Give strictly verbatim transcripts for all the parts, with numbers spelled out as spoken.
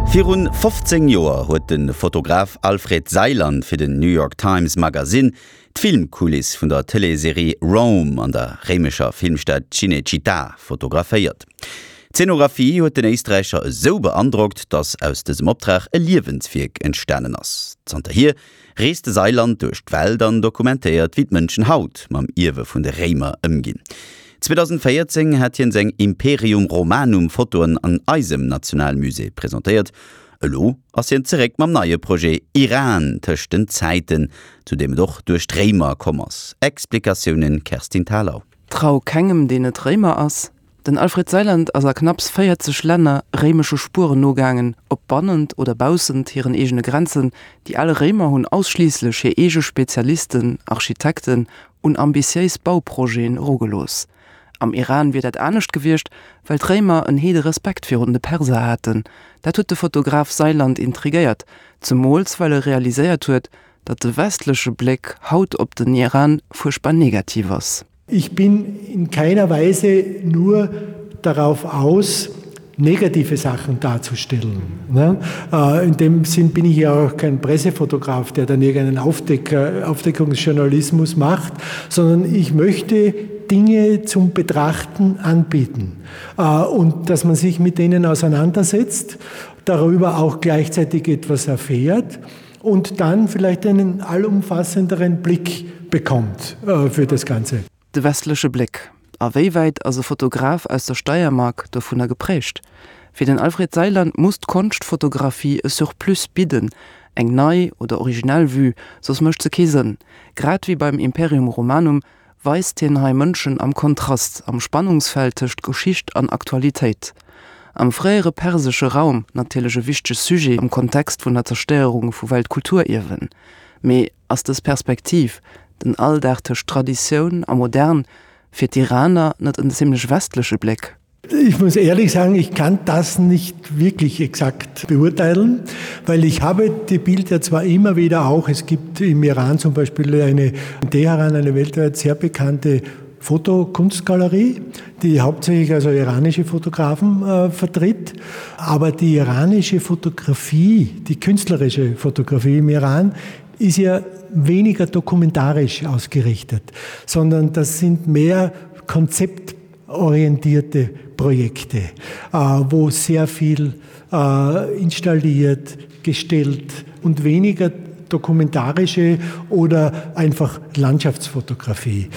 Virun fofzéng Joer huet de Fotograf Alfred Seiland fir den New York Times Magazine d'Filmkuliss vun der Tëleesserie Rome an der réimescher Filmstad Cinecittà fotograféiert. D'Zeenografie huet den Éisträicher esou beandrockt, datt aus dësem Optrag e Liewenswierk entstanen ass. Zanterhier reest de Seiland duerch d'Welt an dokumentéiert, wéi d'Mënschen haut mam Ierwe vun de Réimer ëmginn. zweedausendvéierzéng hat hien seng Imperium Romanum Fotoen an eisem Nationalmusée presentéiert. Elo ass hien zeréck mam neie Projet Iran tëscht den Zäiten, zu deem et och duerch d'Réimer komm ass. Explikatiounen Kerstin Thalau. Trau kengem, deen net Réimer ass. Den Alfred Seiland ass a knapps véierzeg Länner réimesche Spueren nogaangen, ob bannent oder baussent hiren eegene Grenzen. Déi al Réimer hunn ausschliisslech hir eege Spezialisten, Architekten, un ambitiéis Bauprojeten erugelooss. Am Iran wier dat anescht gewiescht, well d'Réimer en heede Respekt virun de Perser haten. Dat huet de Fotograf Seiland intrigéiert, zemools well e realiséiert huet, datt de westleche Bléck haut op den Iran fuerchtbar negativ ass. Ich bin in keiner Weise nur darauf aus, negative Sachen darzustellen. Ne? Äh, in dem Sinn bin ich ja auch kein Pressefotograf, der dann irgendeinen Aufdecker, Aufdeckungsjournalismus macht, sondern ich möchte Dinge zum Betrachten anbieten äh, und dass man sich mit denen auseinandersetzt, darüber auch gleichzeitig etwas erfährt und dann vielleicht einen allumfassenderen Blick bekommt äh, für das Ganze. De westleche Bléck. A wéi wäit ass e Fotograf aus der Steiermark dovunner geprägt? Fir den Alfred Seiland muss d'Konschtfotografie e Surplus bidden, eng nei oder originell Vue, soss mécht se kee Sënn. Grad wéi beim Imperium Romanum weist hien hei Mënschen am Kontrast, am Spannungsfeld tëscht Geschicht an Aktualitéit. Am fréiere persesche Raum, natierlech e wichtege Sujet am Kontext vun der Zerstéierung vu Weltkulturierwen. Mee ass dës Perspektiv, den Alldag tëscht Traditioun a Modern, fir d'Iraner net en zimmlech westleche Bléck? Ich muss ehrlich sagen, ich kann das nicht wirklich exakt beurteilen, weil ich habe die Bilder zwar immer wieder auch, es gibt im Iran zum Beispiel eine in Teheran eine weltweit sehr bekannte Fotokunstgalerie, die hauptsächlich also iranische Fotografen äh, vertritt. Aber die iranische Fotografie, die künstlerische Fotografie im Iran, ist ja weniger dokumentarisch ausgerichtet, sondern das sind mehr konzeptorientierte Projekte, äh, wo sehr viel äh, installiert, gestellt und weniger dokumentarische oder einfach Landschaftsfotografie.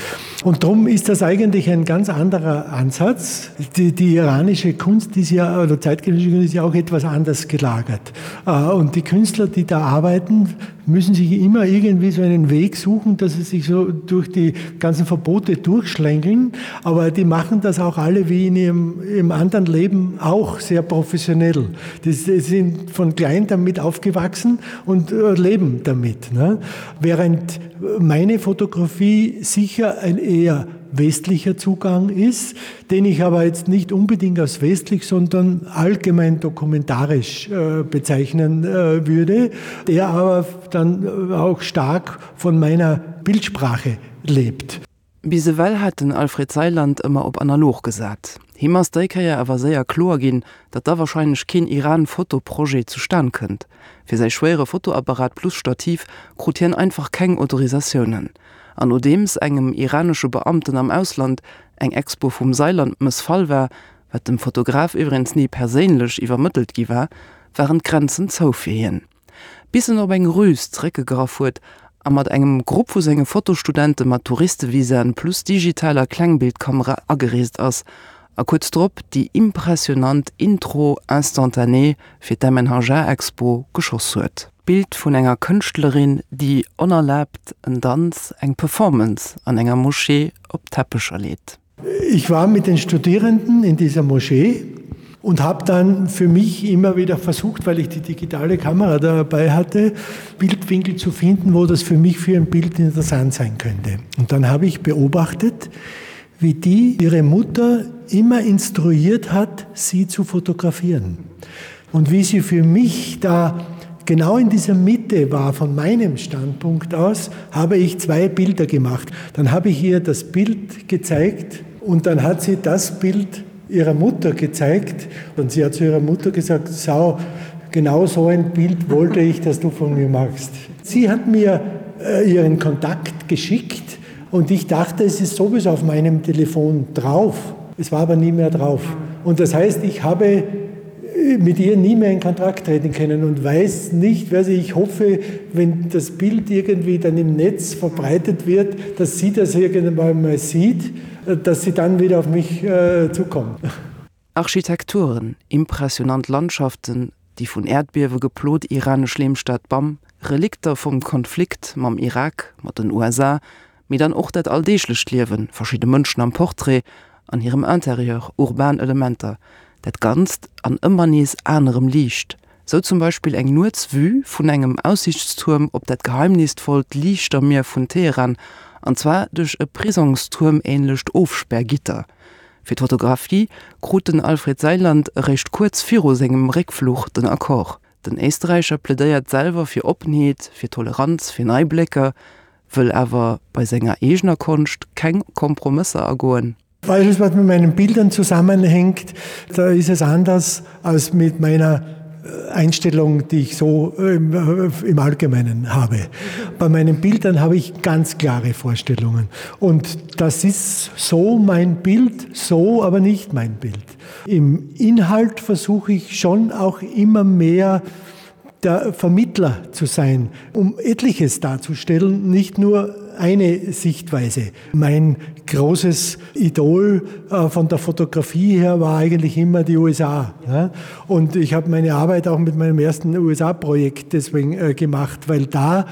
Und darum ist das eigentlich ein ganz anderer Ansatz. Die, die iranische Kunst ist ja, oder zeitgenössische Kunst ist ja auch etwas anders gelagert. Äh, und die Künstler, die da arbeiten, müssen sich immer irgendwie so einen Weg suchen, dass sie sich so durch die ganzen Verbote durchschlängeln. Aber die machen das auch alle wie in ihrem, ihrem anderen Leben auch sehr professionell. Die sind von klein damit aufgewachsen und äh, leben damit. Ne? Während meine Fotografie sicher ein eher westlicher Zugang ist, den ich aber jetzt nicht unbedingt als westlich, sondern allgemein dokumentarisch äh, bezeichnen äh, würde, der aber dann auch stark von meiner Bildsprache lebt. Bis ewell hat den Alfred Seiland ëmmer op analog gesat. Him ass déi Kéier awer séier kloer ginn, datt da warscheinlech keen Iran-Foto-Projet zustan kënnt. Fir säi schwéiere Fotoapparat plus Stativ krut hien einfach keng Autorisatiounen. An nodeems engem iranesche Beamten am Ausland eng Expo vum Seiland mëssfall war, wat dem Fotograf iwwregens ni perséinlech iwwermëttelt gi war, waren d'Grenzen zou fir hien. Bis en op eng Rüs zeréckgegraff huet a mat engem Grupp vu senge Fotostudente mat Touristevisaen plus digitaler Klengbildkamera agereest ass a kuerz drop déi impressionant Intro instantanée fir d'MNHA-Expo geschoss huet. D'Bild vun enger Kënschtlerin, déi onerlaabt en Danz, eng Performance an enger Moschee op Teppecher leet. Ich war mit den Studierenden in dieser Moschee und habe dann für mich immer wieder versucht, weil ich die digitale Kamera dabei hatte, Bildwinkel zu finden, wo das für mich für ein Bild interessant sein könnte. Und dann habe ich beobachtet, wie die ihre Mutter immer instruiert hat, sie zu fotografieren. Und wie sie für mich da genau in dieser Mitte war, von meinem Standpunkt aus, habe ich zwei Bilder gemacht. Dann habe ich ihr das Bild gezeigt und dann hat sie das Bild ihrer Mutter gezeigt und sie hat zu ihrer Mutter gesagt, Sau, Genau so ein Bild wollte ich, dass du von mir magst. Sie hat mir äh, ihren Kontakt geschickt und ich dachte, es ist sowieso auf meinem Telefon drauf. Es war aber nie mehr drauf. Und das heißt, ich habe äh, mit ihr nie mehr in Kontakt treten können und weiß nicht, wer sie ich hoffe, wenn das Bild irgendwie dann im Netz verbreitet wird, dass sie das irgendwann mal sieht, äh, dass sie dann wieder auf mich äh, zukommt. Architekturen, impressionant Landschaften, déi vun Äerdbiewe geplot iranesch Leemstad Bam, Relikter vum Konflikt mam Irak, mat den USA, mee dann och dat alldeeglecht Liewen, verschidde Mënschen am Portrait, an hirem Interieur, urban Elementer, dat Ganzt an ëmmer nees anerem Liicht, sou zum Beispill eng Nuetsvue vun engem Aussiichtstuerm op dat geheimnisvollt Liichtermier vun Teheran, an zwar duerch e Prisongstuerm-änlecht Ofspärgitter. Fir d'Fotografie krut den Alfred Seiland eréischt kuerz viru sengem Réckfluch den Accord. Den Éisträicher plädéiert selwer fir Oppenheet, fir Toleranz, fir nei Blécker, wëll awer bei senger eegener Konscht keng Kompromësser agoen. Alles, was mit meinen Bildern zusammenhängt, da ist es anders als mit meiner äh, Einstellung, die ich so im, äh, im Allgemeinen habe. Bei meinen Bildern habe ich ganz klare Vorstellungen. Und das ist so mein Bild, so aber nicht mein Bild. Im Inhalt versuche ich schon auch immer mehr, der Vermittler zu sein, um etliches darzustellen, nicht nur eine Sichtweise. Mein großes Idol äh, von der Fotografie her war eigentlich immer die USA. Und ich habe meine Arbeit auch mit meinem ersten USA-Projekt deswegen äh, gemacht, weil da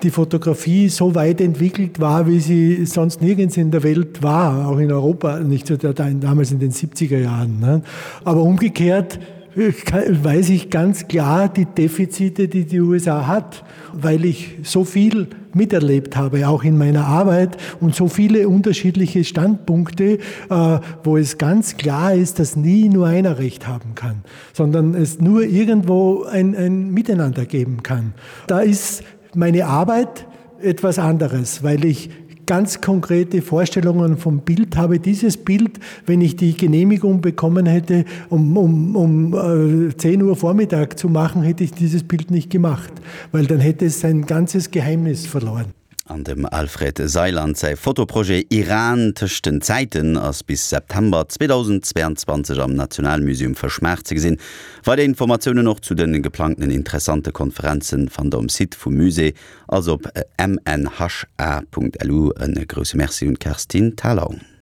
die Fotografie so weit entwickelt war, wie sie sonst nirgends in der Welt war, auch in Europa nicht so damals in den siebziger Jahren. Aber umgekehrt weiß ich ganz klar die Defizite, die die U S A hat, weil ich so viel miterlebt habe, auch in meiner Arbeit und so viele unterschiedliche Standpunkte, äh, wo es ganz klar ist, dass nie nur einer Recht haben kann, sondern es nur irgendwo ein, ein Miteinander geben kann. Da ist meine Arbeit etwas anderes, weil ich ganz konkrete Vorstellungen vom Bild habe. Dieses Bild, wenn ich die Genehmigung bekommen hätte, um, um, um äh, zehn Uhr Vormittag zu machen, hätte ich dieses Bild nicht gemacht, weil dann hätte es sein ganzes Geheimnis verloren. An dem Alfred Seiland säi Fotoprojet Iran tëscht den Zäiten ass bis September zweedausendzweianzwanzeg am Nationalmuseum Fëschmaart ze gesinn. Weider Informatiounen och zu de geplangten interessante Konferenzen fannt der um Site vum Musée, also op M N H A Punkt L U. E grousse Merci un d'Kerstin Thalau.